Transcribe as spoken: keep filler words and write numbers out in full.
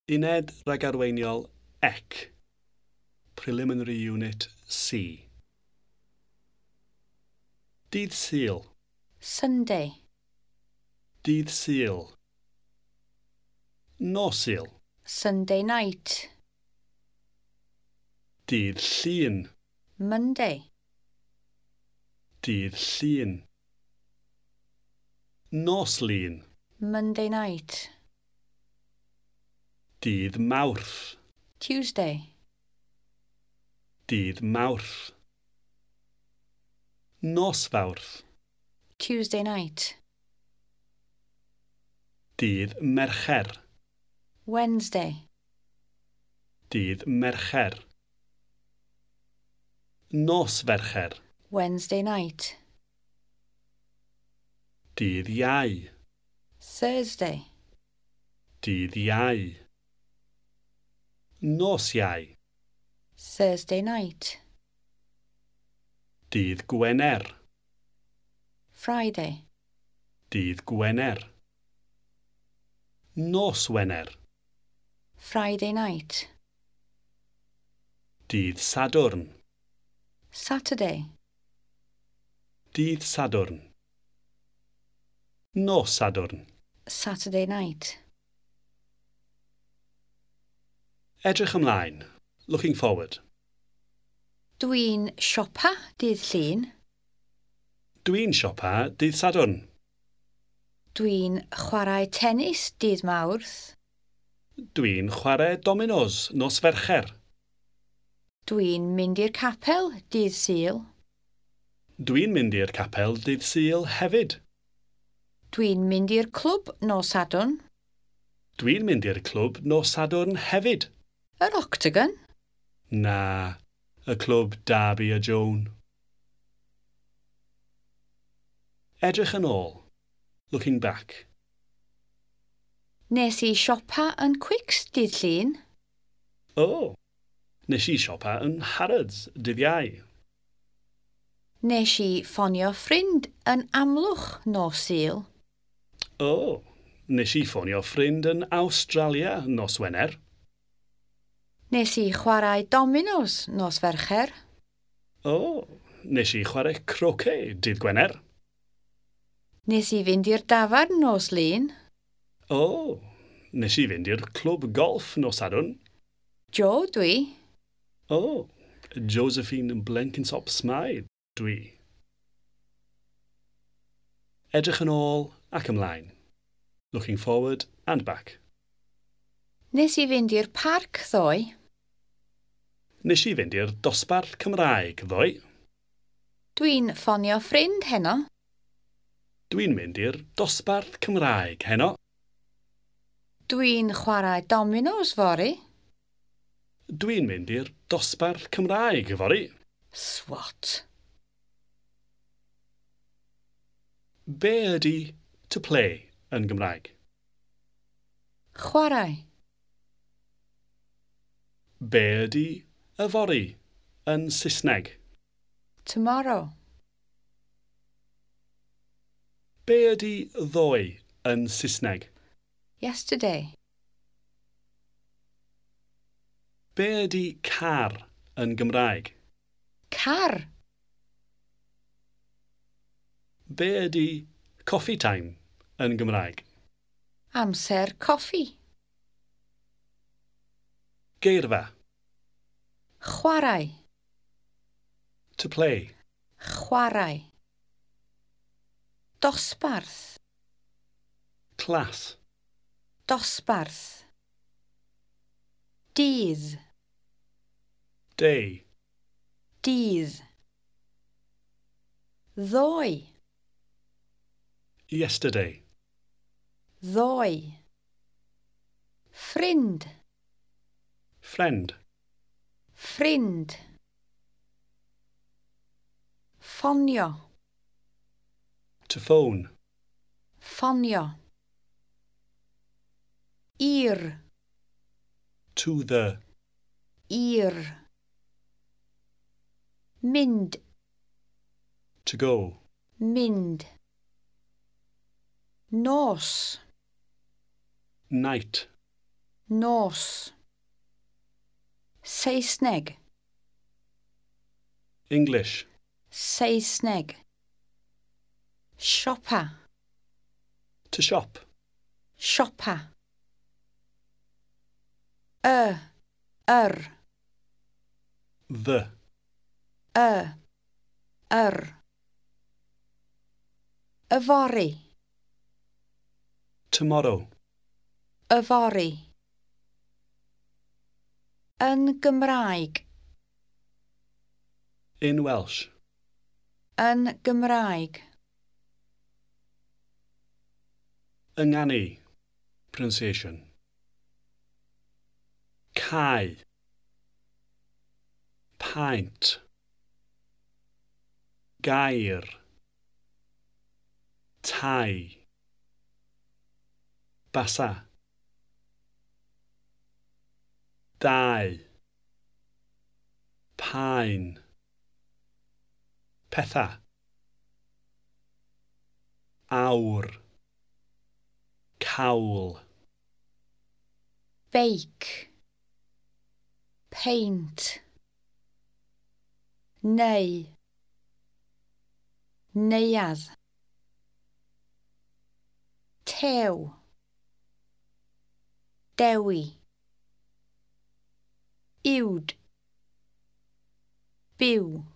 Uned ragarweiniol C. Preliminary Unit C. Dydd Sul. Sunday. Dydd Sul. Nos Sul. Sunday night. Dydd Llun. Monday. Dydd Llun. Nos Lun. Monday night. Dydd Mawrth. Tuesday. Dydd Mawrth. Nos Fawrth. Tuesday night. Dydd Mercher. Wednesday. Dydd Mercher. Nos Fercher. Wednesday night. Dydd Iau. Thursday. Dydd Iau. Nos Iau. Thursday night. Dydd Gwener. Friday. Dydd Gwener. Nos Wener. Friday night. Dydd Sadwrn. Saturday. Dydd Sadwrn. Nos Sadwrn. Saturday night. Edrych ymlaen. Looking forward. Dwi'n siopa dydd Llun. Dwi'n siopa dydd Sadwrn. Dwi'n chwarae tennis dydd Mawrth. Dwi'n chwarae dominos nos Fercher. Dwi'n mynd i'r capel dydd Sul. Dwi'n mynd i'r capel dydd Sul hefyd. Dwi'n mynd i'r clwb nos Sadwrn. Dwi'n mynd i'r clwb nos Sadwrn hefyd. Yr Octagon? Na, y clwb Darby a Joan. Edrych yn ôl. Looking back. Nes i siopa yn Quicks dydd Llun. O, oh, nes i siopa yn Harrods dydd Iau. Nes i ffonio ffrind yn Amlwch nos Sul. O, oh, nes i ffonio ffrind yn Awstralia nos Wener. Nes i chwarae dominos nos Fercher. O, oh, nes i chwarae croquet dydd Gwener. Nes i fynd i'r dafarn nos Lun. O, oh, nes i fynd i'r clwb golff nos Sadwrn. Joe dwi. O, oh, Josephine Blenkinsop Smythe dwi. Edrych yn ôl ac ymlaen. Looking forward and back. Nes i fynd i'r parc ddoe. Nes i fynd i'r dosbarth Cymraeg ddoe. Dwi'n ffonio ffrind heno. Dwi'n mynd i'r dosbarth Cymraeg heno. Dwi'n chwarae dominos fory. Dwi'n mynd i'r dosbarth Cymraeg fory. Swat. Be ydy to play yn Gymraeg? Chwarae. Be ydy yfory yn Saesneg? Tomorrow. Be ydy ddoe yn Saesneg? Yesterday. Be ydy car yn Gymraeg? Car. Be ydy coffee time yn Gymraeg? Amser coffi. Geirfa. Chwarae. To play. Chwarae. Dosbarth. Class. Dosbarth. Dydd. Day. Dydd. Ddoe. Yesterday. Ddoe. Ffrind. Friend. Ffrind. Ffonio. To phone. Ffonio. I'r. To the. I'r. Mynd. To go. Mynd. Nos. Night. Nos. Saesneg. English. Saesneg. Siopa. To shop. Siopa. Y. Yr. The. Y. Yr. Yfory. Tomorrow. Yfory. Yn Gymraeg. In Welsh. Yn Gymraeg. Ynganu. Pronunciation. Cae. Paent. Gair. Tai. Basa. Dau. Paen. Petha. Awr. Cawl. Beic. Peint. Neu. Neuadd. Tew. Dewi. Uwd. Byw.